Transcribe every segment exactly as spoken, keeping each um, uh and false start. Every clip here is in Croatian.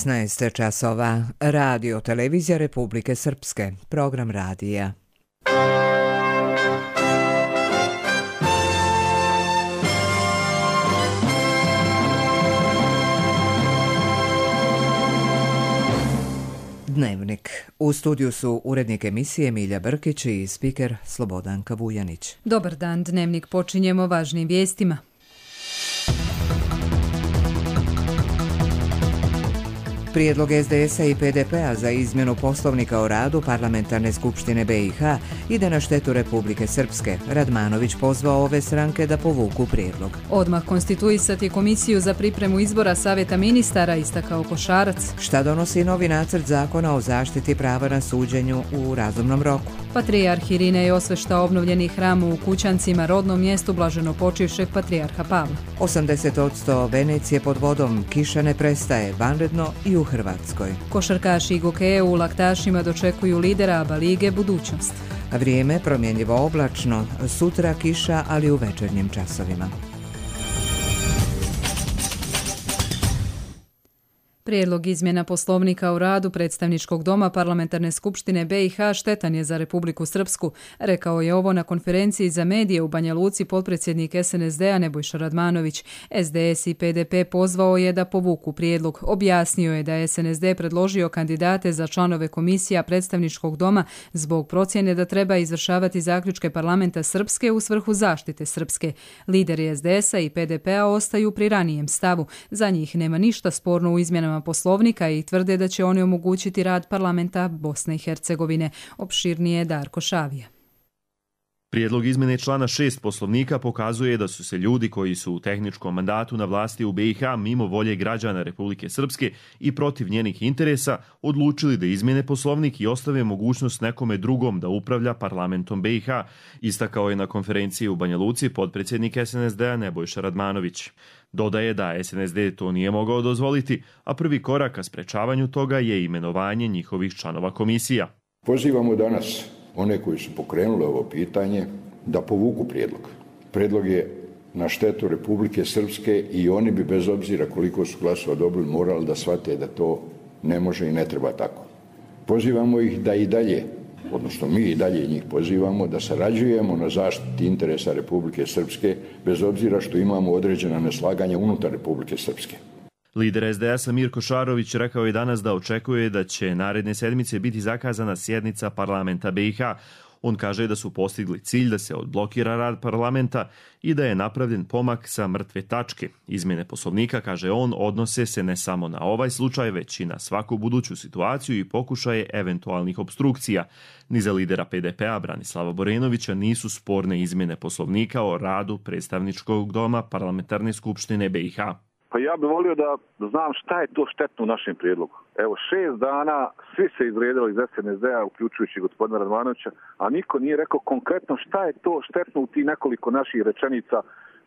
šesnaest časova. Radio Televizija Republike Srpske. Program radija. Dnevnik. U studiju su urednik emisije Milja Brkić i spiker Slobodanka Vujanić. Dobar dan, Dnevnik počinjemo važnim vijestima. Prijedlog es de es a i pe de pe a za izmjenu poslovnika o radu Parlamentarne skupštine be i ha ide na štetu Republike Srpske. Radmanović pozvao ove stranke da povuku prijedlog. Odmah konstituisati komisiju za pripremu izbora Savjeta ministara, istakao Košarac. Šta donosi novi nacrt zakona o zaštiti prava na suđenju u razumnom roku? Patrijarh Irinej osvešta obnovljeni hram u Kućancima, rodnom mjestu blaženopočivšeg patrijarha Pavla. osamdeset posto Venecije pod vodom, kiša ne prestaje, vanredno i u Hrvatskoj. Košarkaši i gokeje u Laktašima dočekuju lidera ABA lige budućnost. Vrijeme promjenjivo oblačno, sutra kiša, ali u večernjim časovima. Prijedlog izmjena poslovnika o radu Predstavničkog doma Parlamentarne skupštine be i ha štetan je za Republiku Srpsku. Rekao je ovo na konferenciji za medije u Banja Luci potpredsjednik es en es de a Nebojša Radmanović. es de es i pe de pe pozvao je da povuku prijedlog. Objasnio je da je es en es de predložio kandidate za članove komisija Predstavničkog doma zbog procjene da treba izvršavati zaključke Parlamenta Srpske u svrhu zaštite Srpske. Lideri es de es a i pe de pe a ostaju pri ranijem stavu. Za njih nema ništa sporno u izmjenama poslovnika i tvrde da će oni omogućiti rad parlamenta Bosne i Hercegovine. Opširnije Darko Šavija. Prijedlog izmjene člana šest poslovnika pokazuje da su se ljudi koji su u tehničkom mandatu na vlasti u be i ha mimo volje građana Republike Srpske i protiv njenih interesa odlučili da izmjene poslovnik i ostave mogućnost nekome drugom da upravlja parlamentom be i ha, istakao je na konferenciji u Banja Luci potpredsjednik es en es de a Nebojša Radmanović. Dodaje da es en es de to nije mogao dozvoliti, a prvi korak ka sprečavanju toga je imenovanje njihovih članova komisija. Pozivamo danas one koji su pokrenuli ovo pitanje da povuku prijedlog. Prijedlog je na štetu Republike Srpske i oni bi bez obzira koliko su glasova dobili morali da shvate da to ne može i ne treba tako. Pozivamo ih da i dalje, odnosno mi i dalje njih pozivamo da sarađujemo na zaštiti interesa Republike Srpske bez obzira što imamo određena neslaganja unutar Republike Srpske. Lider es de es a Mirko Šarović rekao je danas da očekuje da će naredne sedmice biti zakazana sjednica parlamenta be i ha. On kaže da su postigli cilj da se odblokira rad parlamenta i da je napravljen pomak sa mrtve tačke. Izmjene poslovnika, kaže on, odnose se ne samo na ovaj slučaj, već i na svaku buduću situaciju i pokušaje eventualnih obstrukcija. Ni za lidera pe de pe a Branislava Borenovića nisu sporne izmjene poslovnika o radu Predstavničkog doma Parlamentarne skupštine be i ha. Pa ja bih volio da znam šta je to štetno u našem prijedlogu. Evo, šest dana svi se izvrijedili iz es en es de a, uključujući gospodina Radmanovića, a niko nije rekao konkretno šta je to štetno u tih nekoliko naših rečenica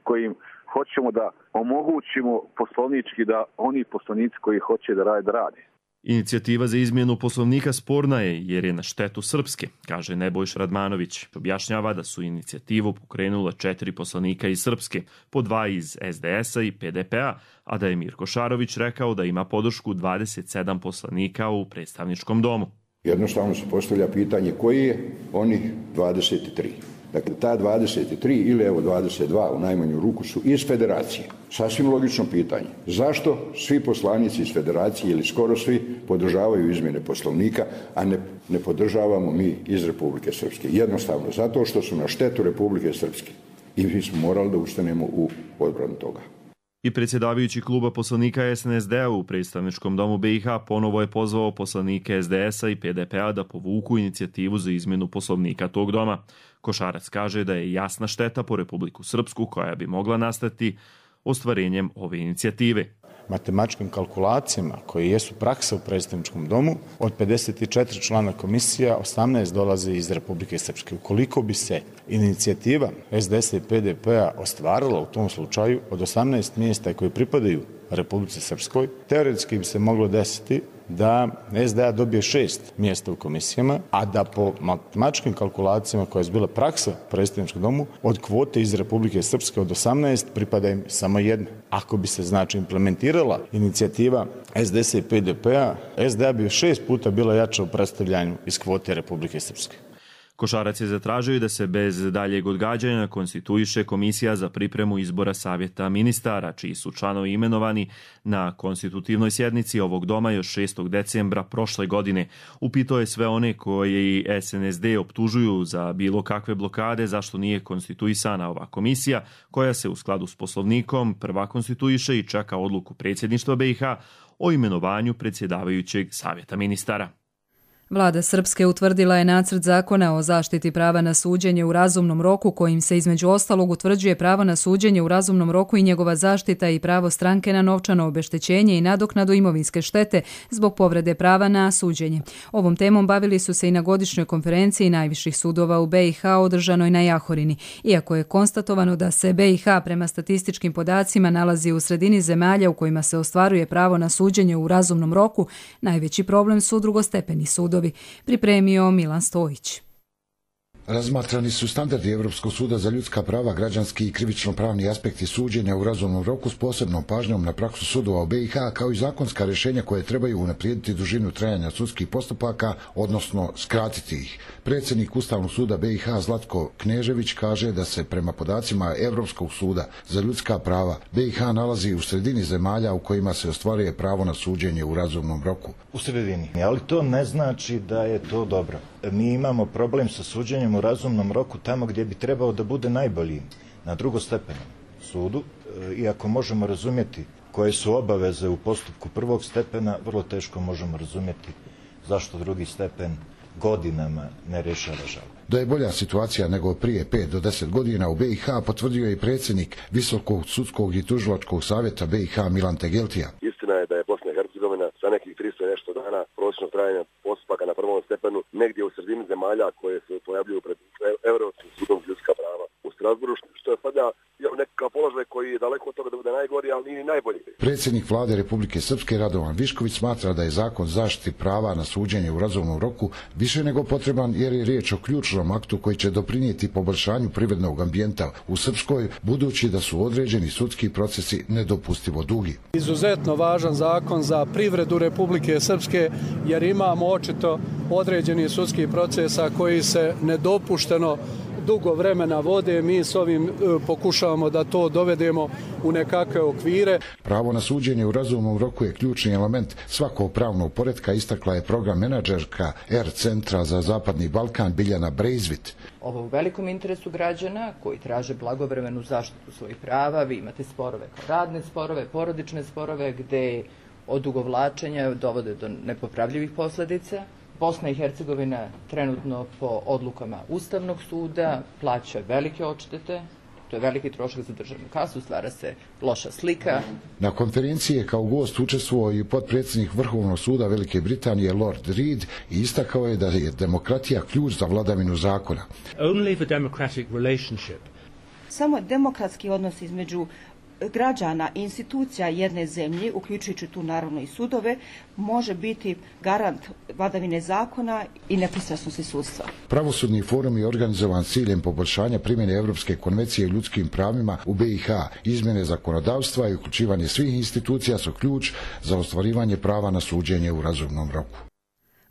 kojim hoćemo da omogućimo poslovnički da oni poslovnici koji hoće da rade, da rade. Inicijativa za izmjenu poslovnika sporna je jer je na štetu Srpske, kaže Nebojša Radmanović. Objašnjava da su inicijativu pokrenula četiri poslanika iz Srpske, po dva iz es de es a i pe de pe a, a da je Mirko Šarović rekao da ima podršku dvadeset sedam poslanika u predstavničkom domu. Jednostavno se postavlja pitanje koji je onih dvadeset tri. Dakle, ta dvadeset tri ili evo dvadeset dva u najmanju ruku su iz federacije. Sasvim logično pitanje. Zašto svi poslanici iz federacije ili skoro svi podržavaju izmjene poslovnika, a ne, ne podržavamo mi iz Republike Srpske? Jednostavno, zato što su na štetu Republike Srpske. I mi smo morali da ustanemo u odbranu toga. I predsjedavajući kluba poslanika es en es de a u predstavničkom domu be i ha ponovo je pozvao poslanike es de es a i pe de pe a da povuku inicijativu za izmjenu poslovnika tog doma. Košarac kaže da je jasna šteta po Republiku Srpsku koja bi mogla nastati ostvarenjem ove inicijative. Matematičkim kalkulacijama koje jesu praksa u predstavničkom domu, od pedeset četiri člana komisija, osamnaest dolaze iz Republike Srpske. Ukoliko bi se inicijativa es de es a i pe de pe a ostvarila u tom slučaju, od osamnaest mjesta koje pripadaju Republici Srpskoj, teoretski bi se moglo desiti da S D A dobije šest mjesta u komisijama, a da po matematičkim kalkulacijama koja je bila praksa u predstavničkom domu, od kvote iz Republike Srpske od osamnaest pripada im samo jedna. Ako bi se znači implementirala inicijativa S D S i P D P-a, S D A bi šest puta bila jača u predstavljanju iz kvote Republike Srpske. Košarac je zatražio da se bez daljeg odgađanja konstituiše komisija za pripremu izbora savjeta ministara, čiji su članovi imenovani na konstitutivnoj sjednici ovog doma još šestog decembra prošle godine. Upitao je sve one koji S N S D optužuju za bilo kakve blokade zašto nije konstituisana ova komisija, koja se u skladu s poslovnikom prva konstituiše i čeka odluku predsjedništva B i H o imenovanju predsjedavajućeg savjeta ministara. Vlada Srpske utvrdila je nacrt zakona o zaštiti prava na suđenje u razumnom roku, kojim se između ostalog utvrđuje pravo na suđenje u razumnom roku i njegova zaštita i pravo stranke na novčano obeštećenje i nadoknadu imovinske štete zbog povrede prava na suđenje. Ovom temom bavili su se i na godišnjoj konferenciji najviših sudova u B i H održanoj na Jahorini. Iako je konstatovano da se B i H prema statističkim podacima nalazi u sredini zemalja u kojima se ostvaruje pravo na suđenje u razumnom roku, najveći problem su drugostepeni sudovi. Pripremio Milan Stojić. Razmatrani su standardi Europskog suda za ljudska prava, građanski i krivično-pravni aspekti suđenja u razumnom roku s posebnom pažnjom na praksu sudova u B i H, kao i zakonska rješenja koje trebaju unaprijediti dužinu trajanja sudskih postupaka, odnosno skratiti ih. Predsjednik Ustavnog suda B i H Zlatko Knežević kaže da se prema podacima Europskog suda za ljudska prava B i H nalazi u sredini zemalja u kojima se ostvaruje pravo na suđenje u razumnom roku. U sredini, ali to ne znači da je to dobro. Mi imamo problem sa suđenjem u razumnom roku tamo gdje bi trebao da bude najbolji, na drugostepenom sudu. Iako možemo razumjeti koje su obaveze u postupku prvog stepena, vrlo teško možemo razumjeti zašto drugi stepen godinama ne rješava žalbu. Da je bolja situacija nego prije pet do deset godina u B i H potvrdio je i predsjednik Visokog sudskog i tužilačkog savjeta B i H Milan Tegeltija. Istina je da je Bosna i Hercegovina sa nekih tristo i nešto dana prosječno trajanja postupaka na prvom stepenu negdje u sredini zemalja koje se pojavljuju pred Europskim sudom za ljudska prava u Strasburu, što je sada nekakav položaj koji je daleko od toga da bude najgori, ali nije ni najbolji. Predsjednik vlade Republike Srpske Radovan Višković smatra da je zakon zaštiti prava na suđenje u razumnom roku više nego potreban, jer je riječ o ključnom aktu koji će doprinijeti poboljšanju privrednog ambijenta u Srpskoj, budući da su određeni sudski procesi nedopustivo dugi. Izuzetno važan zakon za privredu Republike Srpske, jer imamo očito određeni sudskih procesa koji se nedopušteno dugo vremena vode. Mi s ovim e, pokušavamo da to dovedemo u nekakve okvire. Pravo na suđenje u razumnom roku je ključni element svakog pravnog poretka, istakla je program menadžerka R Centra za Zapadni Balkan Biljana Brejzvit. Ovo u velikom interesu građana koji traže blagovremenu zaštitu svojih prava. Vi imate sporove kao radne sporove, porodične sporove, gde odugovlačenja dovode do nepopravljivih posljedica. Bosna i Hercegovina trenutno po odlukama Ustavnog suda plaća velike odštete. To je veliki trošak za državnu kasu, stvara se loša slika. Na konferenciji je kao gost učestvovao i potpredsjednik Vrhovnog suda Velike Britanije Lord Reed i istakao je da je demokratija ključ za vladavinu zakona. Only the democratic relationship. Samo demokratski odnos između građana i institucija jedne zemlje, uključujući tu naravno i sudove, može biti garant vladavine zakona i nepristrasnosti sudstva. Pravosudni forum je organizovan s ciljem poboljšanja primjene Europske konvencije o ljudskim pravima u B i H. Izmjene zakonodavstva i uključivanje svih institucija su ključ za ostvarivanje prava na suđenje u razumnom roku.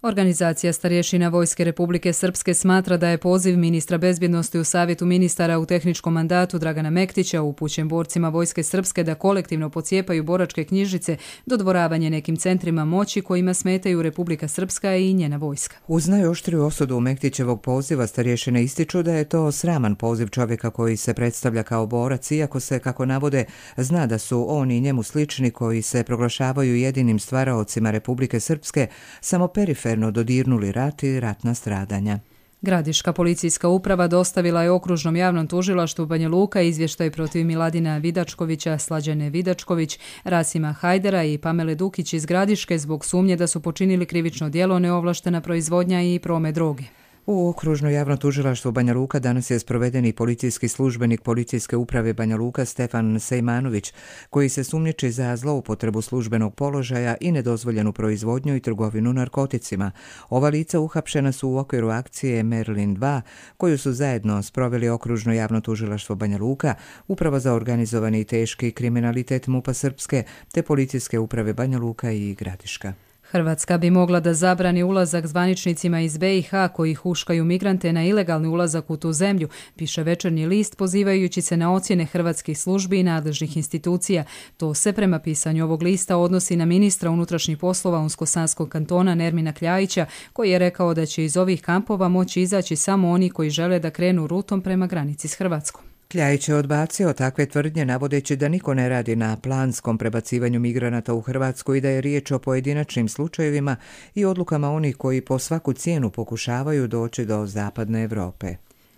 Organizacija starješina Vojske Republike Srpske smatra da je poziv ministra bezbjednosti u Savjetu ministara u tehničkom mandatu Dragana Mektića upućen borcima Vojske Srpske da kolektivno pocijepaju boračke knjižice dodvoravanje nekim centrima moći kojima smetaju Republika Srpska i njena vojska. Uz najoštriju osudu Mektićevog poziva starješine ističu da je to sraman poziv čovjeka koji se predstavlja kao borac, iako se, kako navode, zna da su oni i njemu slični koji se proglašavaju jedinim stvaraocima Republike Srpske samo periferno dodirnuli rat i ratna stradanja. Gradiška policijska uprava dostavila je okružnom javnom tužilaštvu Banja Luka izvještaj protiv Miladina Vidačkovića, Slađane Vidačković, Rasima Hajdera i Pamele Dukić iz Gradiške zbog sumnje da su počinili krivično djelo neovlaštena proizvodnja i promet droge. U okružno javno tužilaštvo Banja Luka danas je sprovedeni policijski službenik policijske uprave Banja Luka Stefan Sejmanović, koji se sumnjiči za zloupotrebu službenog položaja i nedozvoljenu proizvodnju i trgovinu narkoticima. Ova lica uhapšena su u okviru akcije Merlin dva, koju su zajedno sproveli okružno javno tužilaštvo Banja Luka, Uprava za organizovani i teški kriminalitet MUP-a Srpske, te policijske uprave Banja Luka i Gradiška. Hrvatska bi mogla da zabrani ulazak zvaničnicima iz be i ha koji huškaju migrante na ilegalni ulazak u tu zemlju, piše Večernji list pozivajući se na ocjene hrvatskih službi i nadležnih institucija. To se prema pisanju ovog lista odnosi na ministra unutrašnjih poslova Unsko-Sanskog kantona Nermina Kljajića, koji je rekao da će iz ovih kampova moći izaći samo oni koji žele da krenu rutom prema granici s Hrvatskom. Kljajić je odbacio takve tvrdnje navodeći da niko ne radi na planskom prebacivanju migranata u Hrvatsku i da je riječ o pojedinačnim slučajevima i odlukama onih koji po svaku cijenu pokušavaju doći do zapadne Europe.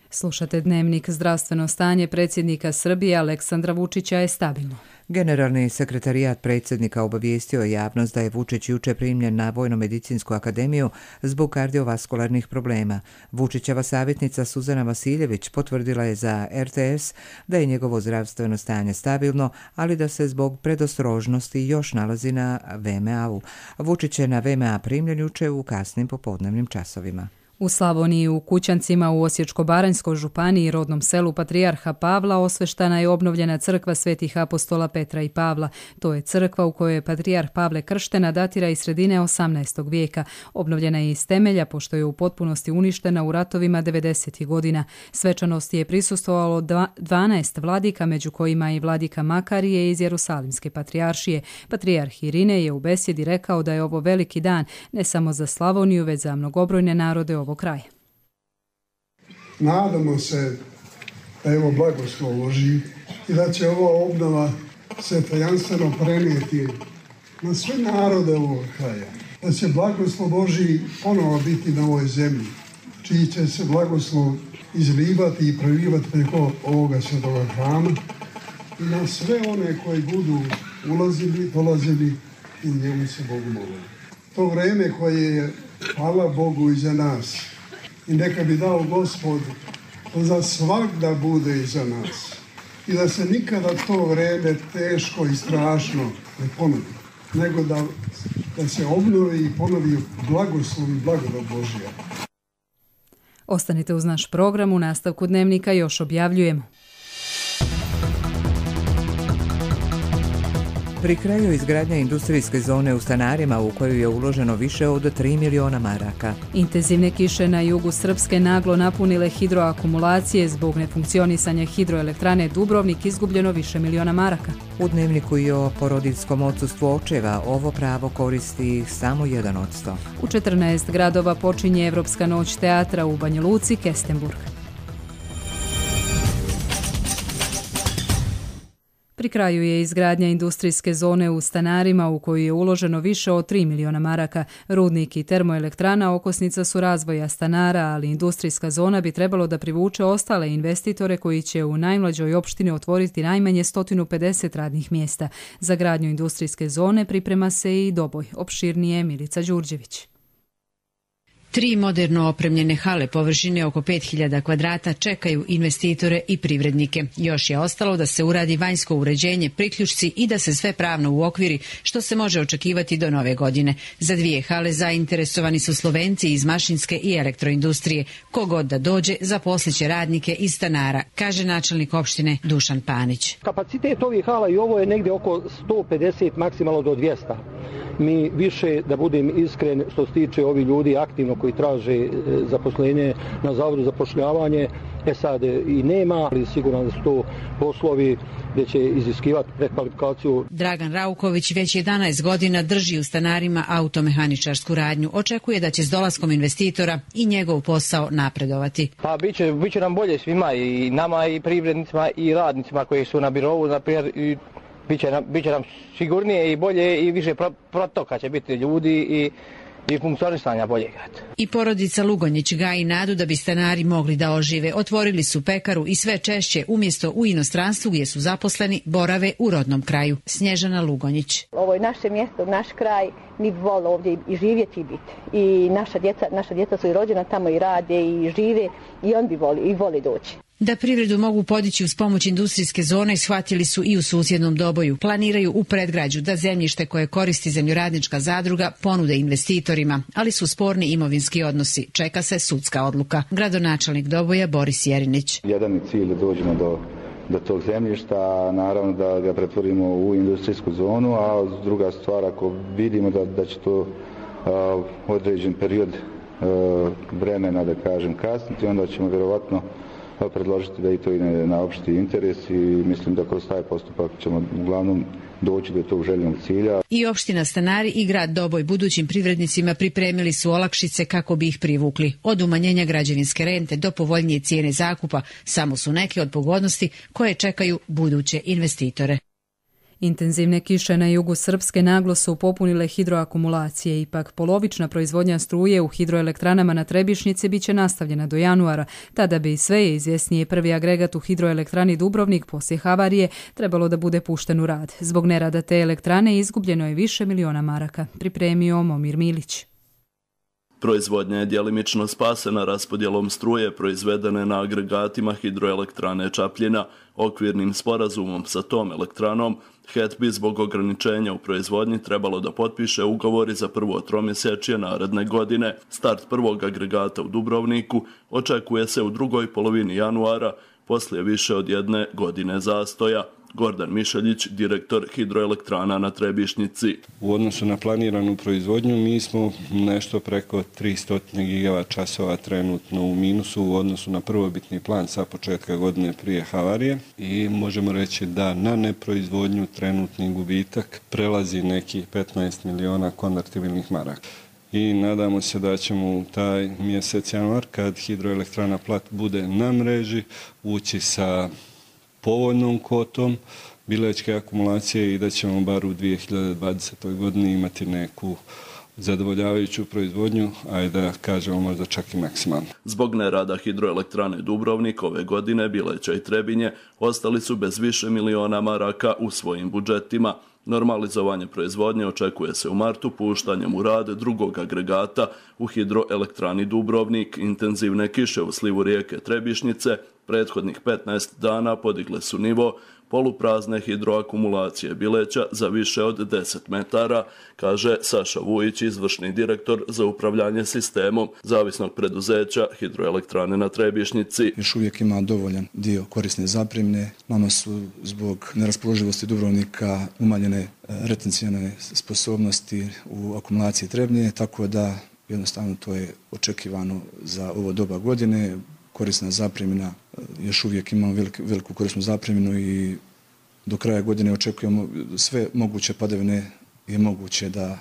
Slušate Dnevnik. Zdravstveno stanje predsjednika Srbije Aleksandra Vučića je stabilno. Generalni sekretarijat predsjednika obavijestio je javnost da je Vučić juče primljen na Vojno-medicinsku akademiju zbog kardiovaskularnih problema. Vučićeva savjetnica Suzana Vasiljević potvrdila je za er te es da je njegovo zdravstveno stanje stabilno, ali da se zbog predostrožnosti još nalazi na ve em a-u. Vučić je na ve em a primljen juče u kasnim popodnevnim časovima. U Slavoniji u Kućancima u Osječko-baranjskoj županiji i rodnom selu Patrijarha Pavla osveštana je obnovljena crkva svetih apostola Petra i Pavla. To je crkva u kojoj je Patrijarh Pavle krštena, datira iz sredine osamnaestog vijeka. Obnovljena je iz temelja pošto je u potpunosti uništena u ratovima devedesetih godina. Svečanosti je prisustvovalo dvanaest vladika, među kojima i vladika Makarije iz Jerusalimske patrijaršije. Patrijarh Irine je u besjedi rekao da je ovo veliki dan ne samo za Slavoniju, već za mnogobrojne narode ovog kraja. Nadamo se da evo blagoslov loži i da će ova obnova se tajanstveno prenijeti na sve narode ovog kraja. Da će blagoslov Božji ponovo biti na ovoj zemlji, čiji će se blagoslov izlivati i prelivati preko ovoga svetoga hrama i na sve one koji budu ulazili, dolazili i njemu se Bogu molili. To vreme koje je, hvala Bogu, iza nas i neka bi dao Gospod da za svagda bude iza nas i da se nikada to vreme teško i strašno ne ponovi, nego da, da se obnovi i ponovi blagoslov i blagodat Božja. Ostanite uz naš program, u nastavku Dnevnika još objavljujemo. Pri kraju izgradnja industrijske zone u Stanarima u koju je uloženo više od tri miliona maraka. Intenzivne kiše na jugu Srpske naglo napunile hidroakumulacije, zbog nefunkcionisanja hidroelektrane Dubrovnik izgubljeno više miliona maraka. U Dnevniku i o porodiljskom odsustvu očeva ovo pravo koristi samo jedan od sto. U četrnaest gradova počinje Evropska noć teatra u Banja Luci, Kestenburg. Pri kraju je izgradnja industrijske zone u Stanarima u koju je uloženo više od tri miliona maraka. Rudnik i termoelektrana okosnica su razvoja Stanara, ali industrijska zona bi trebalo da privuče ostale investitore koji će u najmlađoj opštini otvoriti najmanje sto pedeset radnih mjesta. Za gradnju industrijske zone priprema se i Doboj. Opširnije Milica Đurđević. Tri moderno opremljene hale površine oko pet hiljada kvadrata čekaju investitore i privrednike. Još je ostalo da se uradi vanjsko uređenje, priključci i da se sve pravno uokviri, što se može očekivati do nove godine. Za dvije hale zainteresovani su Slovenci iz mašinske i elektroindustrije. Kogod da dođe, zaposliće radnike iz Stanara, kaže načelnik opštine Dušan Panić. Kapacitet ovih hala i ovo je negdje oko sto pedeset, maksimalno do dvjesto. Mi više, da budem iskren, što se tiče ovih ljudi aktivno koji traže zaposlenje na Zavodu za zapošljavanje, e sad i nema, ali sigurno da su to poslovi gdje će iziskivati prekvalifikaciju. Dragan Rauković već jedanaest godina drži u Stanarima automehaničarsku radnju. Očekuje da će s dolaskom investitora i njegov posao napredovati. Pa bit će, bit će nam bolje svima, i nama i privrednicima i radnicima koji su na birovu, na primjer, i Biće nam, biće nam sigurnije i bolje i više protoka će biti ljudi i, i funkcionisanja boljeg. I porodica Lugonjić gaji nadu da bi Stanari mogli da ožive. Otvorili su pekaru i sve češće umjesto u inostranstvu gdje su zaposleni borave u rodnom kraju. Snježana Lugonjić. Ovo je naše mjesto, naš kraj, mi bi volili ovdje i živjeti i biti. I naša djeca, naša djeca su i rođena tamo i rade i žive i on bi voli, i voli doći. Da privredu mogu podići uz pomoć industrijske zone shvatili su i u susjednom Doboju. Planiraju u predgrađu da zemljište koje koristi zemljoradnička zadruga ponude investitorima, ali su sporni imovinski odnosi. Čeka se sudska odluka. Gradonačelnik Doboja Boris Jerinić. Jedan je cilj da dođemo do, do tog zemljišta, naravno da ga pretvorimo u industrijsku zonu, a druga stvar, ako vidimo da, da će to a, određen period a, vremena, da kažem, kasniti, onda ćemo vjerovatno predložiti da i to ide na opšti interes i mislim da kroz taj postupak ćemo uglavnom doći do tog željenog cilja. I opština Stanari i grad Doboj budućim privrednicima pripremili su olakšice kako bi ih privukli. Od umanjenja građevinske rente do povoljnije cijene zakupa samo su neke od pogodnosti koje čekaju buduće investitore. Intenzivne kiše na jugu Srpske naglo su popunile hidroakumulacije, ipak polovična proizvodnja struje u hidroelektranama na Trebišnjici bit će nastavljena do januara. Tada bi sve je izvjesnije prvi agregat u hidroelektrani Dubrovnik poslije havarije trebalo da bude pušten u rad. Zbog nerada te elektrane izgubljeno je više miliona maraka, pripremio Momir Milić. Proizvodnja je djelimično spasena raspodjelom struje proizvedene na agregatima hidroelektrane Čapljina. Okvirnim sporazumom sa tom elektranom H E P bi zbog ograničenja u proizvodnji trebalo da potpiše ugovori za prvo tromjesečje naredne godine. Start prvog agregata u Dubrovniku očekuje se u drugoj polovini januara, poslije više od jedne godine zastoja. Gordan Mišeljić, direktor hidroelektrana na Trebišnjici. U odnosu na planiranu proizvodnju mi smo nešto preko tristo gigavat časova trenutno u minusu u odnosu na prvobitni plan sa početka godine prije havarije i možemo reći da na neproizvodnju trenutni gubitak prelazi neki petnaest miliona konvertibilnih maraka. I nadamo se da ćemo u taj mjesec januar, kad hidroelektrana Plat bude na mreži, ući sa povoljnom kotom bilečke akumulacije i da ćemo bar u dvije hiljade dvadesetoj godini imati neku zadovoljavajuću proizvodnju, a i da kažemo možda čak i maksimalno. Zbog nerada hidroelektrane Dubrovnik ove godine Bileća i Trebinje ostali su bez više miliona maraka u svojim budžetima. Normalizovanje proizvodnje očekuje se u martu puštanjem u rad drugog agregata u hidroelektrani Dubrovnik. Intenzivne kiše u slivu rijeke Trebišnjice prethodnih petnaest dana podigle su nivo poluprazne hidroakumulacije Bileća za više od deset metara, kaže Saša Vujić, izvršni direktor za upravljanje sistemom zavisnog preduzeća hidroelektrane na Trebišnjici. Još uvijek ima dovoljan dio korisne zapremne. Nama su zbog neraspoloživosti Dubrovnika umanjene retencijone sposobnosti u akumulaciji Trebnje, tako da jednostavno to je očekivano za ovo doba godine. Korisna zapremina, još uvijek imamo veliku, veliku korisnu zapreminu i do kraja godine očekujemo sve moguće padavine je moguće da,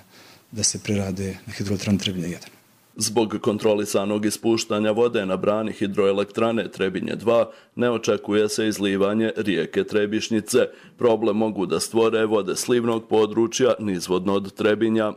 da se prerade na hidroelektranu Trebinje jedan. Zbog kontrolisanog ispuštanja vode na brani hidroelektrane Trebinje dva ne očekuje se izlivanje rijeke Trebišnjice. Problem mogu da stvore vode slivnog područja nizvodno od Trebinja.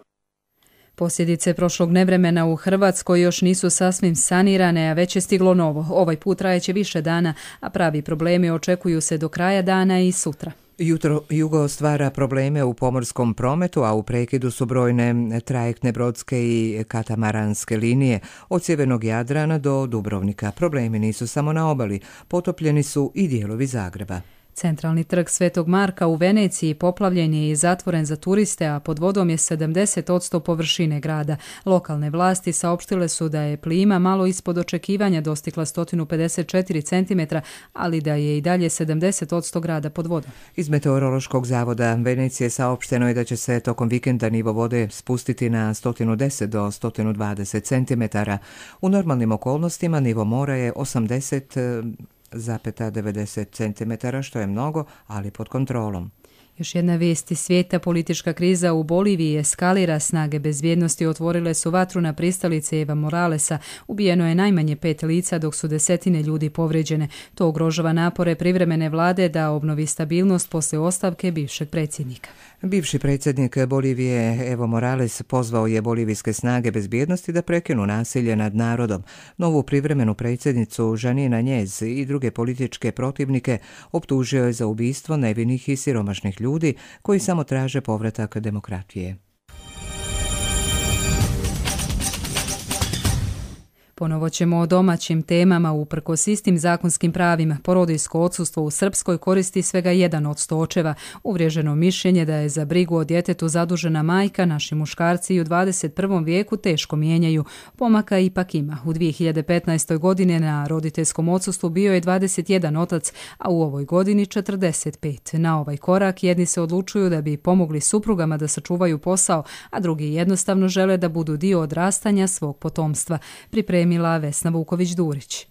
Posljedice prošlog nevremena u Hrvatskoj još nisu sasvim sanirane, a već je stiglo novo. Ovaj put trajeće više dana, a pravi problemi očekuju se do kraja dana i sutra. Jutro jugo stvara probleme u pomorskom prometu, a u prekidu su brojne trajektne brodske i katamaranske linije od sjevernog Jadrana do Dubrovnika. Problemi nisu samo na obali, potopljeni su i dijelovi Zagreba. Centralni trg Svetog Marka u Veneciji poplavljen je i zatvoren za turiste, a pod vodom je sedamdeset posto površine grada. Lokalne vlasti saopštile su da je plima malo ispod očekivanja dostigla sto pedeset četiri centimetra, ali da je i dalje sedamdeset posto grada pod vodom. Iz Meteorološkog zavoda Venecije saopšteno je da će se tokom vikenda nivo vode spustiti na sto deset do sto dvadeset centimetara. U normalnim okolnostima nivo mora je osamdeset zarez devedeset centimetara, što je mnogo, ali pod kontrolom. Još jedna vijest iz svijeta, politička kriza u Boliviji eskalira, snage bezbjednosti otvorile su vatru na pristalice Eva Moralesa. Ubijeno je najmanje pet lica, dok su desetine ljudi povrijeđene. To ugrožava napore privremene vlade da obnovi stabilnost poslije ostavke bivšeg predsjednika. Bivši predsjednik Bolivije Evo Morales pozvao je bolivijske snage bezbjednosti da prekinu nasilje nad narodom. Novu privremenu predsjednicu Žanina Njez i druge političke protivnike optužio je za ubistvo nevinih i siromašnih ljudi koji samo traže povratak demokratije. Ponovo ćemo o domaćim temama. Uprkos istim zakonskim pravima, porodiljsko odsustvo u Srpskoj koristi svega jedan od sto očeva. Uvriježeno mišljenje da je za brigu o djetetu zadužena majka naši muškarci i u dvadeset prvom vijeku teško mijenjaju. Pomaka ipak ima. U dvije hiljade petnaestoj godine na roditeljskom odsustvu bio je dvadeset jedan otac, a u ovoj godini četrdeset pet. Na ovaj korak jedni se odlučuju da bi pomogli suprugama da sačuvaju posao, a drugi jednostavno žele da budu dio odrastanja svog potomstva. Pripremila Vesna Vuković-Durić.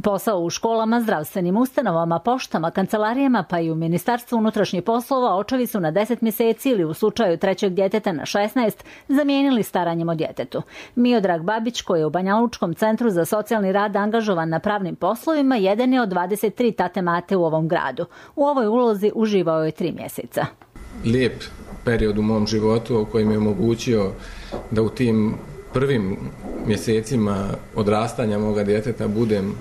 Posao u školama, zdravstvenim ustanovama, poštama, kancelarijama pa i u Ministarstvu unutrašnjih poslova očevi su na deset mjeseci ili u slučaju trećeg djeteta na šesnaest zamijenili staranjem o djetetu. Miodrag Babić, koji je u Banjalučkom centru za socijalni rad angažovan na pravnim poslovima, jedan je od dvadeset tri tate mate u ovom gradu. U ovoj ulozi uživao je tri mjeseca. Lijep period u mom životu koji mi je omogućio da u tim prvim mjesecima odrastanja moga djeteta budem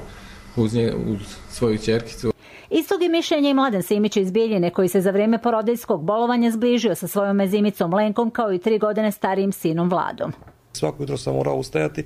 uz, nje, uz svoju ćerkicu. Istog je mišljenja i Mladen Simić iz Bijeljine, koji se za vrijeme porodiljskog bolovanja zbližio sa svojom mezimicom Lenkom kao i tri godine starijim sinom Vladom. Svako jutro sam morao ustajati,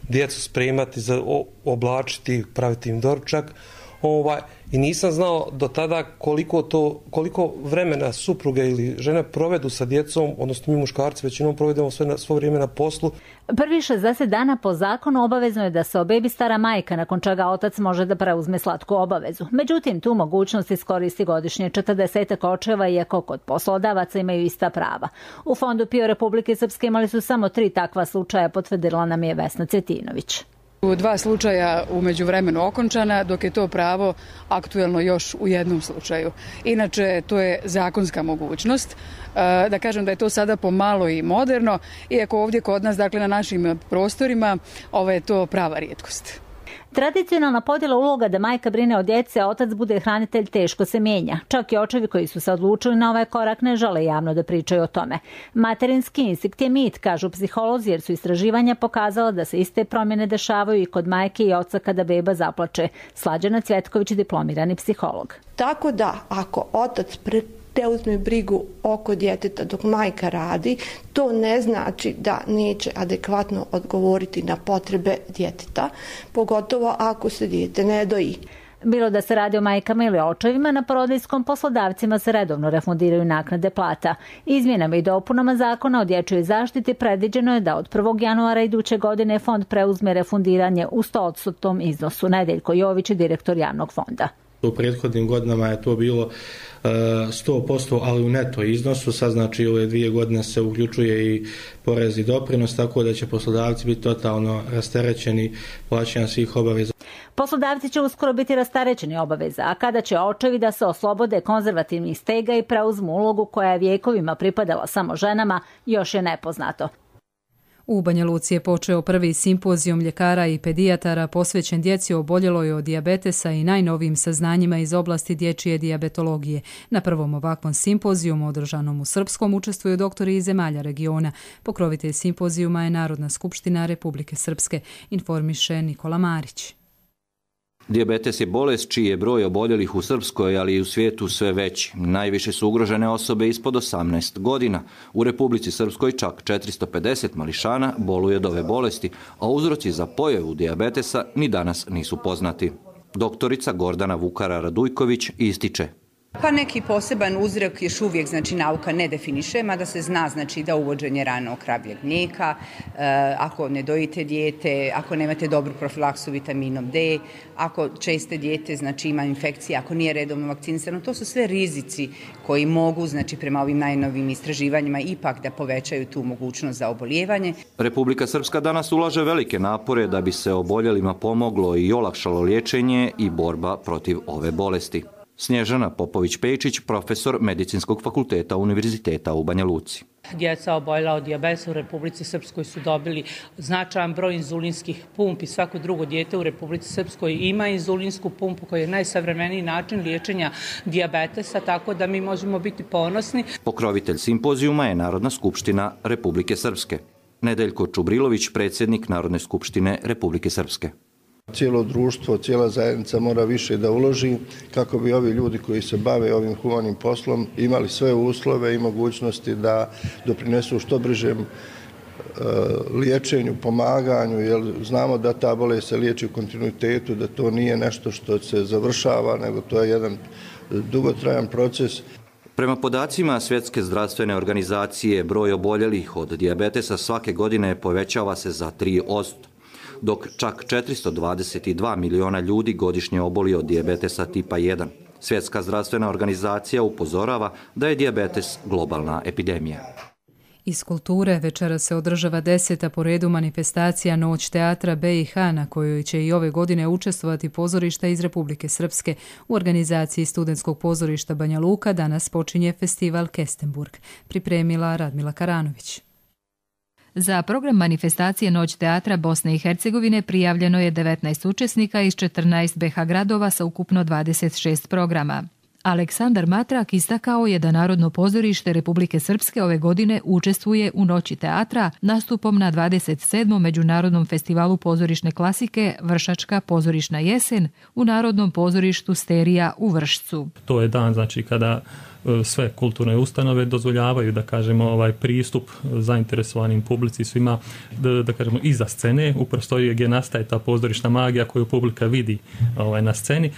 djecu spremati, za, oblačiti, praviti im doručak. Ovaj, I nisam znao do tada koliko, to, koliko vremena supruge ili žene provedu sa djecom, odnosno mi muškarci većinom provedemo sve na, svo vrijeme na poslu. Prvi šezdeset dana po zakonu obavezno je da se o bebi stara majka, nakon čega otac može da preuzme slatku obavezu. Međutim, tu mogućnost iskoristi godišnje četrdesetak očeva, iako kod poslodavaca imaju ista prava. U Fondu PIO Republike Srpske imali su samo tri takva slučaja, potvrdila nam je Vesna Cetinović. U dva slučaja u međuvremenu okončana, dok je to pravo aktuelno još u jednom slučaju. Inače, to je zakonska mogućnost. Da kažem da je to sada pomalo i moderno, iako ovdje kod nas, dakle na našim prostorima, ovo je to prava rijetkost. Tradicionalna podjela uloga da majka brine o djeci, a otac bude hranitelj teško se mijenja. Čak i očevi koji su se odlučili na ovaj korak ne žele javno da pričaju o tome. Materinski instinkt je mit, kažu psiholozi, jer su istraživanja pokazala da se iste promjene dešavaju i kod majke i oca kada beba zaplače. Slađana Cvjetković, diplomirani psiholog. Tako da, ako otac pre te uzme brigu oko djeteta dok majka radi, to ne znači da neće adekvatno odgovoriti na potrebe djeteta, pogotovo ako se dijete ne doji. Bilo da se radi o majkama ili očevima, na porodiljskom poslodavcima se redovno refundiraju naknade plata. Izmjenama i dopunama zakona o dječjoj zaštiti predviđeno je da od prvog januara iduće godine fond preuzme refundiranje u sto posto iznosu. Nedeljko Jović, direktor javnog fonda. U prethodnim godinama je to bilo sto posto, ali u neto iznosu, sad znači ove dvije godine se uključuje i porez i doprinos, tako da će poslodavci biti totalno rasterećeni plaćanja svih obaveza. Poslodavci će uskoro biti rasterećeni obaveza, a kada će očevi da se oslobode konzervativnih stega i preuzmu ulogu koja je vijekovima pripadala samo ženama, još je nepoznato. U Banja Luci je počeo prvi simpozijum ljekara i pedijatara posvećen djeci oboljeloj od dijabetesa i najnovijim saznanjima iz oblasti dječje dijabetologije. Na prvom ovakvom simpozijumu održanom u Srpskom učestvuju doktori iz zemalja regiona. Pokrovitelj simpozijuma je Narodna skupština Republike Srpske, informiše Nikola Marić. Dijabetes je bolest čiji je broj oboljelih u Srpskoj, ali i u svijetu sve veći. Najviše su ugrožene osobe ispod osamnaest godina. U Republici Srpskoj čak četiristo pedeset mališana boluje od ove bolesti, a uzroci za pojavu dijabetesa ni danas nisu poznati. Doktorica Gordana Vukara-Radujković ističe. Pa neki poseban uzrok još uvijek, znači, nauka ne definiše, mada se zna, znači, da uvođenje ranog kravljeg mlijeka, e, ako ne dojite dijete, ako nemate dobru profilaksu vitaminom D, ako česte dijete, znači, ima infekcija, ako nije redovno vakcinisano, to su sve rizici koji mogu, znači, prema ovim najnovim istraživanjima ipak da povećaju tu mogućnost za obolijevanje. Republika Srpska danas ulaže velike napore da bi se oboljelima pomoglo i olakšalo liječenje i borba protiv ove bolesti. Snježana Popović-Pejčić, profesor Medicinskog fakulteta Univerziteta u Banja Luci. Djeca oboljela od dijabetesa u Republici Srpskoj su dobili značajan broj inzulinskih pumpi. Svako drugo dijete u Republici Srpskoj ima inzulinsku pumpu koja je najsavremeniji način liječenja dijabetesa, tako da mi možemo biti ponosni. Pokrovitelj simpozijuma je Narodna skupština Republike Srpske. Nedeljko Čubrilović, predsjednik Narodne skupštine Republike Srpske. Cijelo društvo, cijela zajednica mora više da uloži kako bi ovi ljudi koji se bave ovim humanim poslom imali sve uslove i mogućnosti da doprinesu što bržem liječenju, pomaganju, jer znamo da ta bolest se liječi u kontinuitetu, da to nije nešto što se završava, nego to je jedan dugotrajan proces. Prema podacima Svjetske zdravstvene organizacije, broj oboljelih od dijabetesa svake godine povećava se za tri posto, dok čak četiristo dvadeset dva miliona ljudi godišnje oboli od dijabetesa tipa jedan. Svjetska zdravstvena organizacija upozorava da je dijabetes globalna epidemija. Iz kulture večera se održava deseta po redu manifestacija Noć teatra B i H, na kojoj će i ove godine učestvovati pozorišta iz Republike Srpske. U organizaciji Studentskog pozorišta Banja Luka danas počinje festival Kestenburg. Pripremila Radmila Karanović. Za program manifestacije Noć teatra Bosne i Hercegovine prijavljeno je devetnaest učesnika iz četrnaest B H gradova sa ukupno dvadeset šest programa. Aleksandar Matrak istakao je da Narodno pozorište Republike Srpske ove godine učestvuje u Noći teatra nastupom na dvadeset sedmom Međunarodnom festivalu pozorišne klasike Vršačka pozorišna jesen u Narodnom pozorištu Sterija u Vršcu. To je dan, znači, kada sve kulturne ustanove dozvoljavaju, da kažemo, ovaj pristup zainteresovanim publici, svima, da, da kažemo, iza scene, u prostoriji gdje nastaje ta pozorišna magija koju publika vidi ovaj, na sceni.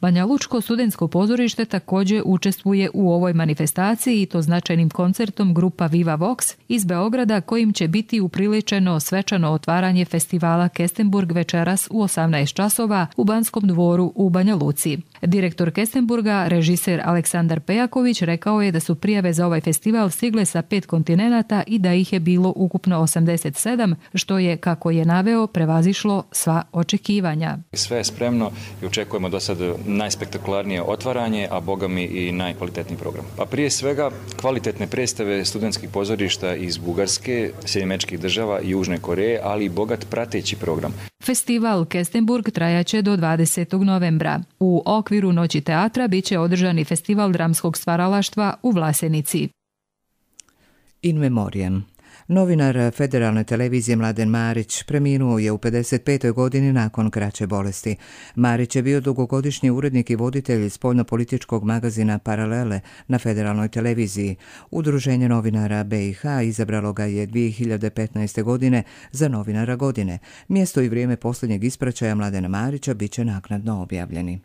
Banja Lučko studentsko pozorište također učestvuje u ovoj manifestaciji i to značajnim koncertom grupa Viva Vox iz Beograda, kojim će biti upriličeno svečano otvaranje festivala Kestenburg večeras u osamnaest časova u Banskom dvoru u Banja Luci. Direktor Kestenburga, režiser Aleksandar Pejaković, rekao je da su prijave za ovaj festival stigle sa pet kontinenata i da ih je bilo ukupno osamdeset sedam, što je, kako je naveo, prevazišlo sva očekivanja. Sve je spremno i očekujemo do sad najspektakularnije otvaranje, a boga mi i najkvalitetniji program. A prije svega kvalitetne predstave studentskih pozorišta iz Bugarske, Sjedinjenih Američkih Država i Južne Koreje, ali i bogat prateći program. Festival Kestenburg trajaće do dvadesetog novembra. U okviru Noći teatra bit će održan i festival dramskog stvaralaštva u Vlasenici. In memoriam. Novinar Federalne televizije Mladen Marić preminuo je u pedeset petoj godini nakon kraće bolesti. Marić je bio dugogodišnji urednik i voditelj spoljnopolitičkog magazina Paralele na Federalnoj televiziji. Udruženje novinara B i H izabralo ga je dvije hiljade petnaeste. godine za novinara godine. Mjesto i vrijeme posljednjeg ispraćaja Mladena Marića bit će naknadno objavljeni.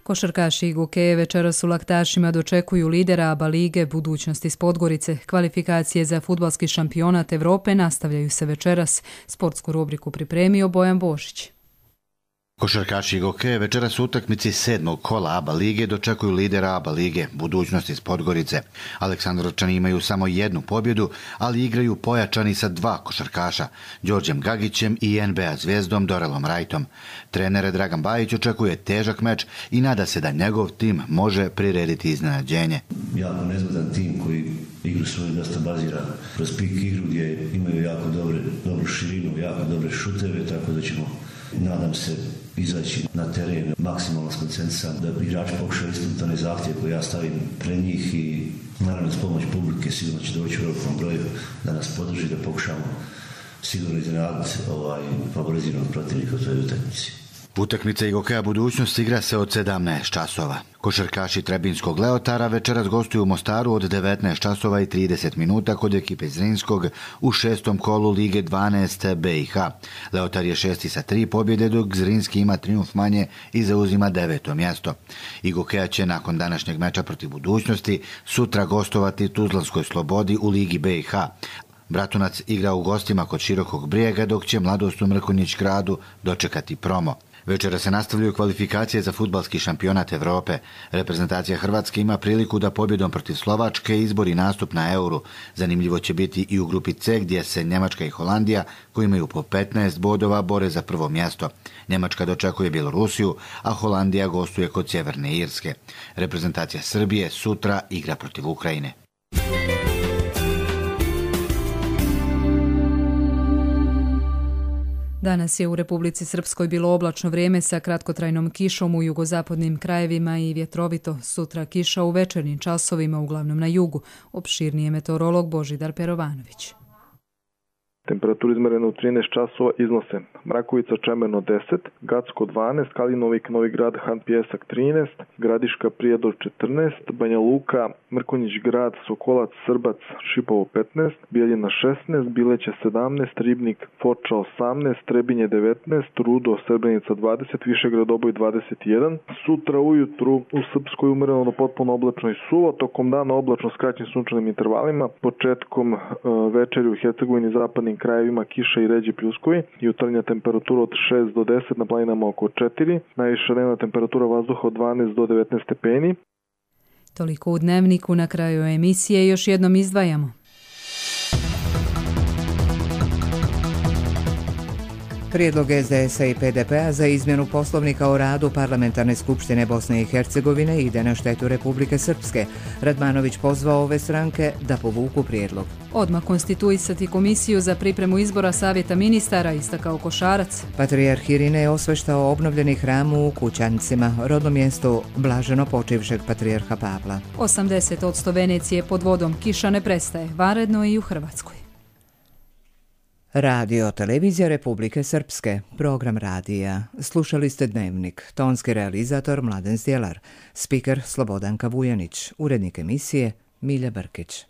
Košarkaši i Gokeje večeras u Laktašima dočekuju lidera ABA lige Budućnost iz Podgorice. Kvalifikacije za fudbalski šampionat Evrope nastavljaju se večeras. Sportsku rubriku pripremio Bojan Božić. Košarkaši i Gokeje večeras u utakmici sedmog kola ABA lige dočekuju lidera ABA lige Budućnost iz Podgorice. Aleksandrovčani imaju samo jednu pobjedu, ali igraju pojačani sa dva košarkaša, Đorđem Gagićem i N B A zvijezdom Dorelom Rajtom. Trener Dragan Bajić očekuje težak meč i nada se da njegov tim može prirediti iznenađenje. Jako nezgodan tim koji igru svoju dosta bazira kroz pik igru gdje imaju jako dobre, dobru širinu, jako dobre šuteve, tako da ćemo, nadam se, izaći na teren maksimalno skoncentrisan, da igrači pokušaju ispuniti onaj zahtjev koji ja stavim pred njih i naravno s pomoć publike sigurno će doći u velikom broju da nas podrži, da pokušamo sigurno iznenaditi ovaj favoriziranog protivnika u toj utakmici. Utakmica Gokeja Budućnost igra se od sedamnaest časova. Košarkaši Trebinskog Leotara večeras gostuju u Mostaru od devetnaest časova i trideset minuta kod ekipe Zrinskog u šestom kolu Lige dvanaest B i H. Leotar je šesti sa tri pobjede, dok Zrinski ima trijumf manje i zauzima deveto mjesto. I Gokeja će nakon današnjeg meča protiv Budućnosti sutra gostovati Tuzlanskoj Slobodi u Ligi B i H. Bratunac igra u gostima kod Širokog Brijega, dok će Mladost u Mrkonjić Gradu dočekati Promo. Večera se nastavljaju kvalifikacije za fudbalski šampionat Evrope. Reprezentacija Hrvatske ima priliku da pobjedom protiv Slovačke izbori nastup na Euru. Zanimljivo će biti i u grupi C, gdje se Njemačka i Holandija, koji imaju po petnaest bodova, bore za prvo mjesto. Njemačka dočekuje Bjelorusiju, a Holandija gostuje kod Sjeverne Irske. Reprezentacija Srbije sutra igra protiv Ukrajine. Danas je u Republici Srpskoj bilo oblačno vrijeme sa kratkotrajnom kišom u jugozapadnim krajevima i vjetrovito. Sutra kiša u večernjim časovima, uglavnom na jugu. Opširnije meteorolog Božidar Perovanović. Temperatura izmerena u trinaest časova iznose Mrakovica Čemerno deset, Gacko dvanaest, Kalinovik Novi Grad Han Pjesak trinaest, Gradiška Prijedor četrnaest, Banja Luka Mrkonjić Grad Sokolac Srbac Šipovo petnaest, Bijeljina šesnaest, Bileće sedamnaest, Ribnik Foča osamnaest, Trebinje devetnaest, Rudo Srebrenica dvadeset, Višegrad Oboj dvadeset jedan. Sutra ujutru u Srpskoj umereno do potpuno oblačno i suvo, tokom dana oblačno s kraćim sunčanim intervalima, početkom e, večeri u Hercegovini i zapadnim krajevima kiša i ređi pljuskovi, jutarnja temperatura od šest do deset, na planinama oko četiri, najviša dnevna temperatura vazduha od dvanaest do devetnaest stepeni. Toliko u Dnevniku. Na kraju emisije još jednom izdvajamo. Prijedlog S D S-a i P D P-a za izmjenu poslovnika o radu Parlamentarne skupštine Bosne i Hercegovine ide na štetu Republike Srpske. Radmanović pozvao ove stranke da povuku prijedlog. Odmah konstituisati komisiju za pripremu izbora savjeta ministara, istakao Košarac. Patrijarh Irine je osveštao obnovljeni hram u Kućancima, rodnom mjestu blaženo počivšeg patrijarha Pavla. osamdeset odsto Venecije pod vodom, kiša ne prestaje, vanredno i u Hrvatskoj. Radio Televizija Republike Srpske, program radija. Slušali ste Dnevnik, tonski realizator Mladen Stjelar, spiker Slobodanka Vujanić, urednik emisije Milja Brkić.